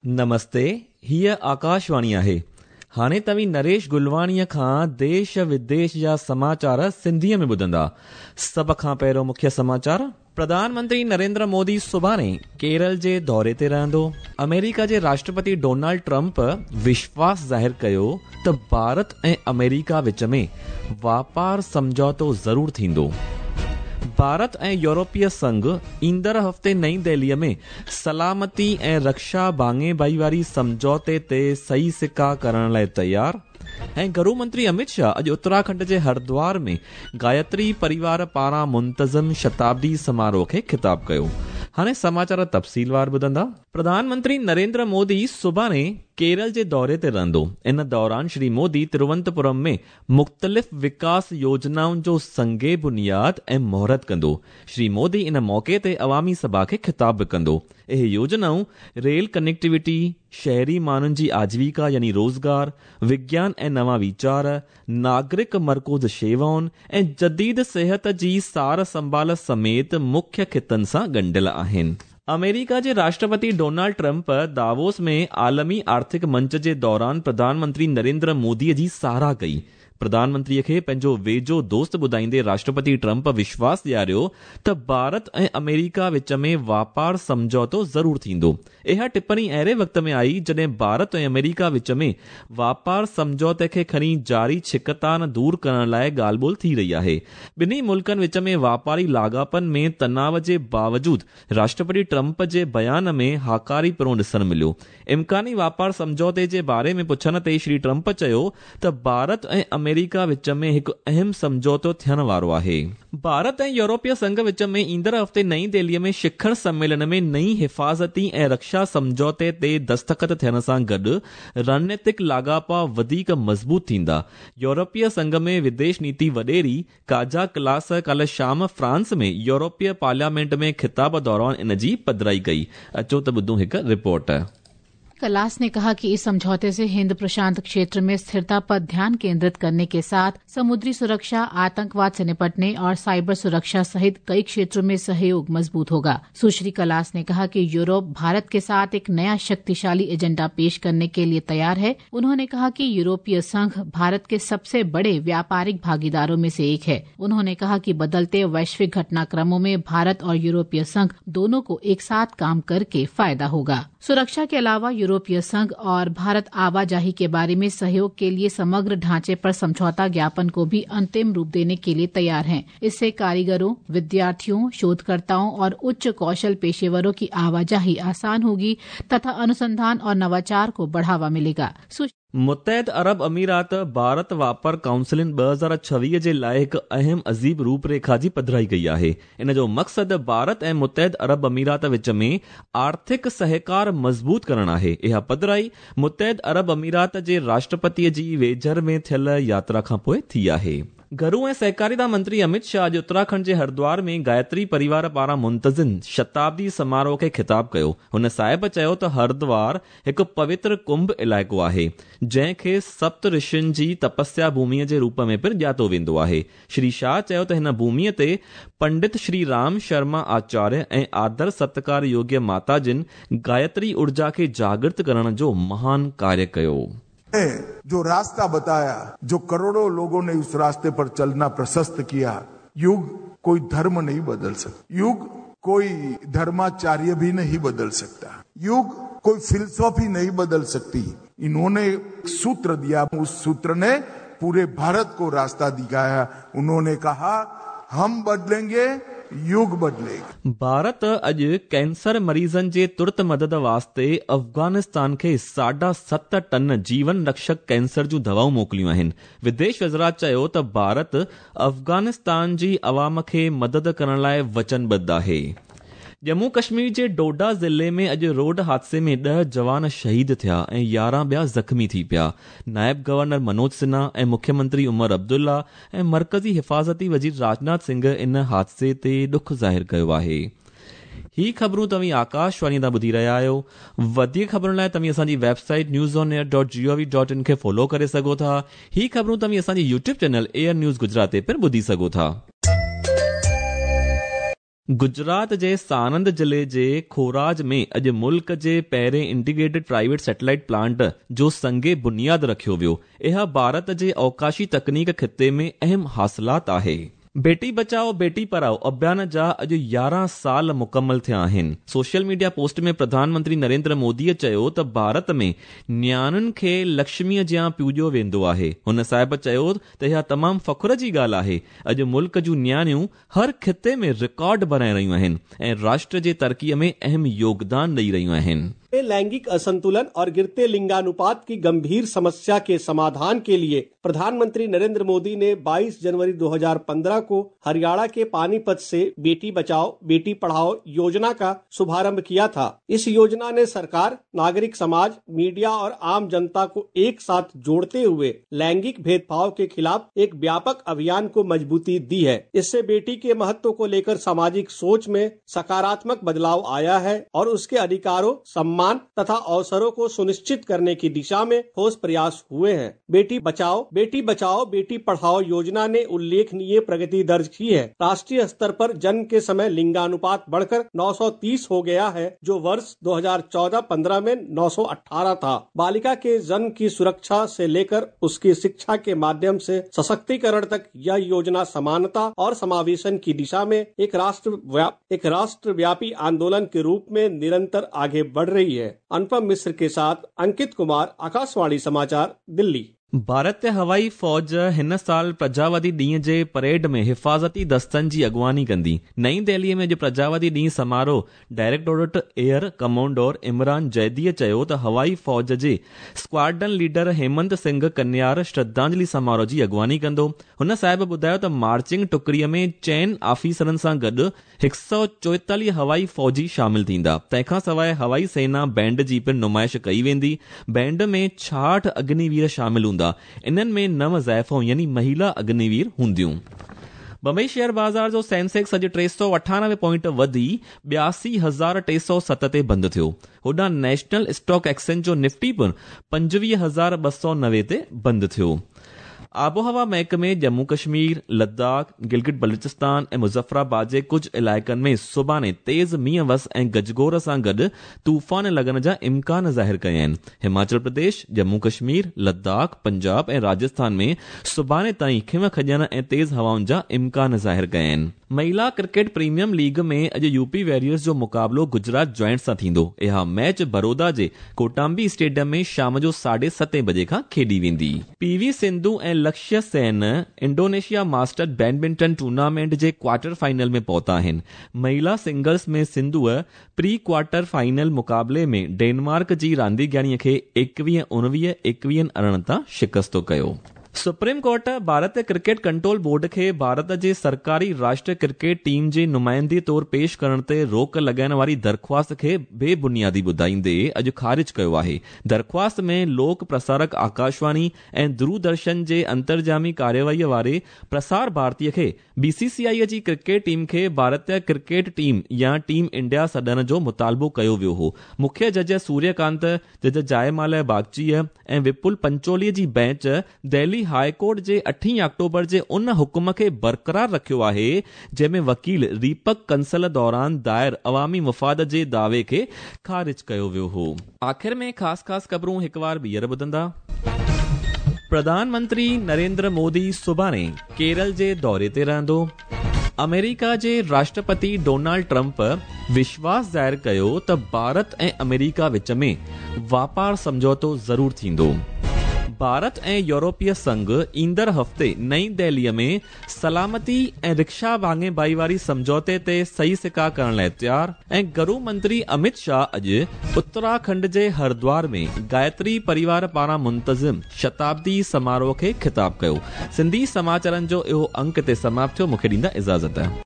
نمستي، هيء آڪاشواڻي آهي. هاڻي توهين نريش گلواڻيء کان ديش وديش جا سماچار سنڌيء ۾ ٻڌندا. سڀ کان پهريون مکيه سماچار. پرڌان منتري نريندر مودي سڀاڻي ڪيرل جي دوري تي رهندو. آمريڪا جي راشٽرپتي ڊونالڊ ٽرمپ وشواس ظاهر ڪيو ته ڀارت ۽ آمريڪا وچ ۾ واپار سمجهوتو ضرور ٿيندو. ڀارت ۽ يورپي سنگهه ايندڙ هفتي نئين دهليء ۾ سلامتي ۽ رڪشا ڀاڱي ڀائيواري سمجهوتي تي صحيح سڪا ڪرڻ لاء تيار ۽ گهرو منتري امت شاهه اڄ اتراکنڊ جي هردوار ۾ گايتري پريوار پاران منتظم شتابدي سماروهه کي خطاب ڪيو. هاڻي سماچار تفصيلوار ٻڌندا. پرڌان منتري نريندر مودي سڀاڻي ڪيرل جي دوري تي رهندو. ان دوران شري مودي تروونتپورم ۾ مختلف وڪاس يوجنائن جو سنگ بنياد ۽ مهورت ڪندو. شري مودي ان موقعي تي عوامي سڀا کي خطاب به ڪندو. اهي يوجنائون ريل ڪنيڪٽيوٽي، شهري ماڻهن جي آجيوڪا يعني روزگار، وگيان ۽ نوان ويچار، ناگرڪ مرڪوز شيوائن ۽ جديد صحت جي سار سنڀال سميت مکيه خطن سان ڳنڍيل آهن. آمريڪا جي راشٽرپتي ڊونالڊ ٽرمپ داووس ۾ عالمي آرٿڪ منچ جي دوران پرڌان منتري نريندر مودي جي ساراهه ڪئي. پرڌان منتري کي پنهنجو ويجهو دوست ٻڌائيندي راشٽرپتي ٽرمپ وشواس ڏياريو ته ڀارت ۽ آمريڪا وچ ۾ واپار سمجهوتو ضرور ٿيندو. اها ٽپڻي اهڙي وقت ۾ آئي جڏهن ڀارت ۽ آمريڪا وچ ۾ واپار سمجهوتي کي کڻي جاري ڇڪتاڻ دور ڪرڻ لاء ڳالهه ٻولهه ٿي رهي آهي. ٻنهي ملڪن وچ ۾ واپاري لاڳاپن ۾ تناء جي باوجود راشٽرپتي ٽرمپ جي بيان ۾ هاڪاري پڻو ڏسڻ مليو. امڪاني واپار سمجهوتي جي باري ۾ پڇڻ تي شري ٽرمپ چيو ته ڀارت ۽ آمريڪا وچ ۾ هڪ اهم سمجهوتو ٿيڻ وارو آهي. ڀارت ۽ يورپي سنگهه وچ ۾ ايندڙ هفتي نئين دهلي ۾ شکر سميلن ۾ نئين حفاظتي ۽ رڪشا سمجهوتي تي دستخط ٿيڻ سان گڏ رڻنيتڪ لاڳاپا وڌيڪ مضبوط ٿيندا. يورپي سنگهه ۾ وديش نيتي وڏيري ڪاجا ڪلاس ڪالهه شام فرانس ۾ يورپي پارليامينٽ ۾ خطاب دوران ان جي پڌرائي ڪئي. اچو ته ٻڌون هڪ رپورٽ. कलास ने कहा कि इस समझौते से हिंद प्रशांत क्षेत्र में स्थिरता पर ध्यान केंद्रित करने के साथ समुद्री सुरक्षा, आतंकवाद से निपटने और साइबर सुरक्षा सहित कई क्षेत्रों में सहयोग मजबूत होगा। सुश्री कलास ने कहा कि यूरोप भारत के साथ एक नया शक्तिशाली एजेंडा पेश करने के लिए तैयार है। उन्होंने कहा कि यूरोपीय संघ भारत के सबसे बड़े व्यापारिक भागीदारों में से एक है। उन्होंने कहा कि बदलते वैश्विक घटनाक्रमों में भारत और यूरोपीय संघ दोनों को एक साथ काम करके फायदा होगा। सुरक्षा के अलावा यूरोपीय संघ और भारत आवाजाही के बारे में सहयोग के लिए समग्र ढांचे पर समझौता ज्ञापन को भी अंतिम रूप देने के लिए तैयार हैं। इससे कारीगरों, विद्यार्थियों, शोधकर्ताओं और उच्च कौशल पेशेवरों की आवाजाही आसान होगी तथा अनुसंधान और नवाचार को बढ़ावा मिलेगा। मुत्तहिद अरब अमीरात भारत वापार काउंसिलिन 2026 जे लाइ हिकु अहम अजीब रूपरेखा जी पधराई कई आहे। इन जो मक़सदु भारत ऐं मुत्तहिद अरब अमीरात विच में आर्थिक सहकार मज़बूत करणु आहे। इहा पधराई मुत्तहिद अरब अमीरात जे राष्ट्रपतीअ जी वेझर में थियल यात्रा खां पोइ थी आहे। घरू ऐं सहकारिता मंत्री अमित शाह अॼु उत्तराखंड जे हरिद्वार में गायत्री परिवार पारां मुंतज़िम शताब्दी समारोह खे ख़िताब कयो। हुन साहिब चयो त हरिद्वार हिकु पवित्र कुंभ इलाइक़ो आहे, जंहिंखे सप्त ऋषियुनि जी तपस्या भूमिअ जे रूप में पिणु ॼातो वेंदो आहे। श्री शाह चयो त हिन भूमिअ ते पंडित श्री राम शर्मा आचार्य ऐं आदर सत्कार योग्य माता जिन गायत्री ऊर्जा खे जागृत करण जो महान कार्य कयो। जो रास्ता बताया, जो करोड़ों लोगों ने उस रास्ते पर चलना प्रशस्त किया, युग कोई धर्म नहीं बदल सकता, युग कोई धर्माचार्य भी नहीं बदल सकता, युग कोई फिलसफी नहीं बदल सकती। इन्होंने सूत्र दिया, उस सूत्र ने पूरे भारत को रास्ता दिखाया। उन्होंने कहा हम बदलेंगे, युग बदलेगा। भारत अॼु कैंसर मरीज़नि जे तुरत मदद वास्ते अफ़ग़ानिस्तान खे 7.5 टन जीवन रक्षक कैंसर जूं दवाऊं मोकिलियूं आहिनि। विदेश वज़ारत चयो त भारत अफ़ग़ानिस्तान जी अवाम खे मदद करण लाइ वचनबद्ध आहे। जम्मू कश्मीर जे डोडा ज़िले में अॼु रोड हादसे में 10 जवान शहीद थिया ऐं 11 ॿिया ज़ख़्मी थी पिया। नायब गवर्नर मनोज सिन्हा ऐं मुख्यमंत्री उमर अब्दुल्ला ऐं मरकज़ी हिफ़ाज़ती वज़ीर राजनाथ सिंह इन हादसे ते ॾुख ज़ाहिर कयो आहे। ही ख़बरूं तव्हीं आकाशवाणी तां ॿुधी रहिया आहियो। वधीक ख़बरुनि लाइ तव्हीं असांजी वेबसाइट newsonair.gov.in खे फॉलो करे सघो था। ही ख़बरूं तव्हीं असांजी YouTube channel air news Gujarat ते पिणु ॿुधी सघो था। گجرات جي سانند ضلعي جي کوراج ۾ اڄ ملڪ جي پهرين انٽيگريٽيڊ پرائيويٽ سيٽلائيٽ پلانٽ جو سنگ بنياد رکيو ويو. اها ڀارت جي اوڪاشي تڪنيڪ خطي ۾ اهم حاصلات آهي. بيٽي بچائو بيٽي پڙهائو اڀيان جا اڄ 11 سال مڪمل ٿيا آهن. Social media post ۾ Pradhan Mantri Narendra موديء چيو ته ڀارت ۾ نياڻين کي لڪشميء جيان پوڄيو ويندو آهي. هن صاحب چيو ته اها تمام فخر جي ڳالهه آهي اڄ ملڪ جون نياڻيون هر خطي ۾ رڪارڊ بڻائي رهيون آهن ۽ راشٽر جي ترقيء ۾ اهم يوگدان ڏئي رهيون آهن. लैंगिक असंतुलन और गिरते लिंगानुपात की गंभीर समस्या के समाधान के लिए प्रधानमंत्री नरेंद्र मोदी ने 22 जनवरी 2015 को हरियाणा के पानीपत से बेटी बचाओ बेटी पढ़ाओ योजना का शुभारंभ किया था। इस योजना ने सरकार, नागरिक समाज, मीडिया और आम जनता को एक साथ जोड़ते हुए लैंगिक भेदभाव के खिलाफ एक व्यापक अभियान को मजबूती दी है। इससे बेटी के महत्व को लेकर सामाजिक सोच में सकारात्मक बदलाव आया है और उसके अधिकारों, सम्मान तथा अवसरों को सुनिश्चित करने की दिशा में ठोस प्रयास हुए हैं। बेटी बचाओ बेटी बचाओ बेटी पढ़ाओ योजना ने उल्लेखनीय प्रगति दर्ज की है। राष्ट्रीय स्तर पर जन्म के समय लिंगानुपात बढ़कर 930 हो गया है, जो वर्ष 2014-15 में 918 था। बालिका के जन्म की सुरक्षा से लेकर उसकी शिक्षा के माध्यम से सशक्तिकरण तक यह योजना समानता और समावेशन की दिशा में एक राष्ट्रव्यापी आंदोलन के रूप में निरंतर आगे बढ़ रही है। अनुपम मिश्र के साथ अंकित कुमार, आकाशवाणी समाचार, दिल्ली। भारतीय हवाई फ़ौज हिन साल प्रजावादी ॾींहं जे परेड में हिफ़ाज़ती दस्तनि जी अॻुवानी कंदी। नई दिल्लीअ में अॼु प्रजावादी ॾींहं समारोह डायरेक्टोरेट एयर कमोडोर इमरान जैदीअ चयो त हवाई फ़ौज जे स्क्वाड्रन लीडर हेमंत सिंह कन्यार श्रद्धांजलि समारोह जी अॻुवानी कंदो। हुन साहिब ॿुधायो त मार्चिंग टुकड़ीअ में 4 आफ़ीसरनि सां गॾु 144 हवाई फ़ौजी शामिल थींदा। तंहिंखां सवाइ हवाई सेना बैंड जी पिणु नुमाइश कई वेंदी। बैंड में 66 अग्निवीर शामिल हूंदा। इन्हनि में 9 ज़ाइफ़ूं यानी महिला अग्निवीर हूंदियूं। बंबई शेयर बाज़ार जो सेंसेक्स अॼु 398 पॉइंट वधी 82,307 ते बंदि थियो। होॾां नेशनल स्टॉक एक्सचेंज जो निफ्टी पिणु 25,290 ते बंदि थियो। आबोहवा महकमे जम्मू कश्मीर, लद्दाख, गिलगित बलूचिस्तान ऐं मुज़फ़राबाद जे कुझु इलाइक़नि में सुभाणे तेज़ मींहं वस ऐं गजगोर सां गॾु तूफ़ान लॻण जा इम्कान ज़ाहिर कया आहिनि। हिमाचल प्रदेश, जम्मू कश्मीर, लद्दाख, पंजाब ऐं राजस्थान में सुभाणे ताईं खिम खॼण ऐं तेज़ हवाउनि जा इम्कान ज़ाहिर कया आहिनि। महिला क्रिकेट प्रीमियम लीग में अॼु यूपी वॉरियर्स जो मुक़ाबिलो गुजरात जॉइंट्स सां थींदो। इहा मैच बड़ौदा जे कोटाम्बी स्टेडियम में शाम जो 7:30 बजे खां खेॾी वेंदी। पीवी सिंधु ऐं Lakshya Sen Indonesia master badminton tournament जे क्वार्टर फाइनल में पहुता आहिनि। महिला सिंगल्स में सिंधूअ प्री क्वार्टर फाइनल मुक़ाबले में डेनमार्क जी रांदीगराणीअ खे 21-19, 21-18 तां शिकस्तो कयो। सुप्रीम कोर्ट भारतीय क्रिकेट कंट्रोल बोर्ड खे भारत जे सरकारी राष्ट्रीय क्रिकेट टीम जे नुमाइंदे तौर पेश करण ते रोक लॻाइण वारी दरख़्वास्त खे बेबुनियादी ॿुधाईंदे अॼु ख़ारिज कयो आहे। दरख़्वास्त में लोक प्रसारक आकाशवाणी ऐं दूरदर्शन जे अंतर्जामी कार्यवाहीअ वारे प्रसार भारतीय खे बीसीसीआई जी क्रिकेट टीम खे भारतीय क्रिकेट टीम या टीम इंडिया सॾण जो मुतालबो कयो वियो हो। मुख्य जज सूर्यकांत, जज जायमालय बागचीअ ऐं विपुल पंचोलीअ जी बेंच दिल्ली हाई कोर्ट जे 8 अक्टूबर जे उन हुकुम खे बरक़रार रखियो आहे जंहिंमें वकील दीपक कंसल दौरान दायर अवामी मुफ़ाद जे दावे खे ख़ारिज कयो वियो हो। आख़िर में ख़ासि ख़ासि ख़बरूं हिकु बार ॿीहर ॿुधंदा। प्रधानमंत्री नरेंद्र मोदी सुभाणे केरल जे दौरे ते रहंदो। अमेरिका जे राष्ट्रपति डोनाल्ड ट्रंप विश्वास ज़ाहिर कयो त भारत ऐं अमेरिका विच में वापार सम्झौतो ज़रूर थींदो। भारत ऐं यूरोपीय संघ ईंदड़ हफ़्ते नई दिल्लीअ में सलामती ऐं रिक्शा भाङे भाईवारी सम्झौते ते सही सिका करण लाइ तयार। ऐं गृह मंत्री अमित शाह अॼु उत्तराखंड जे हरिद्वार में गायत्री परिवार पारां मुंतज़िम शताब्दी समारोह खे ख़िताब कयो। सिंधी समाचारनि जो इहो अंक ते समाप्त थियो। मूंखे ॾींदा इजाज़त।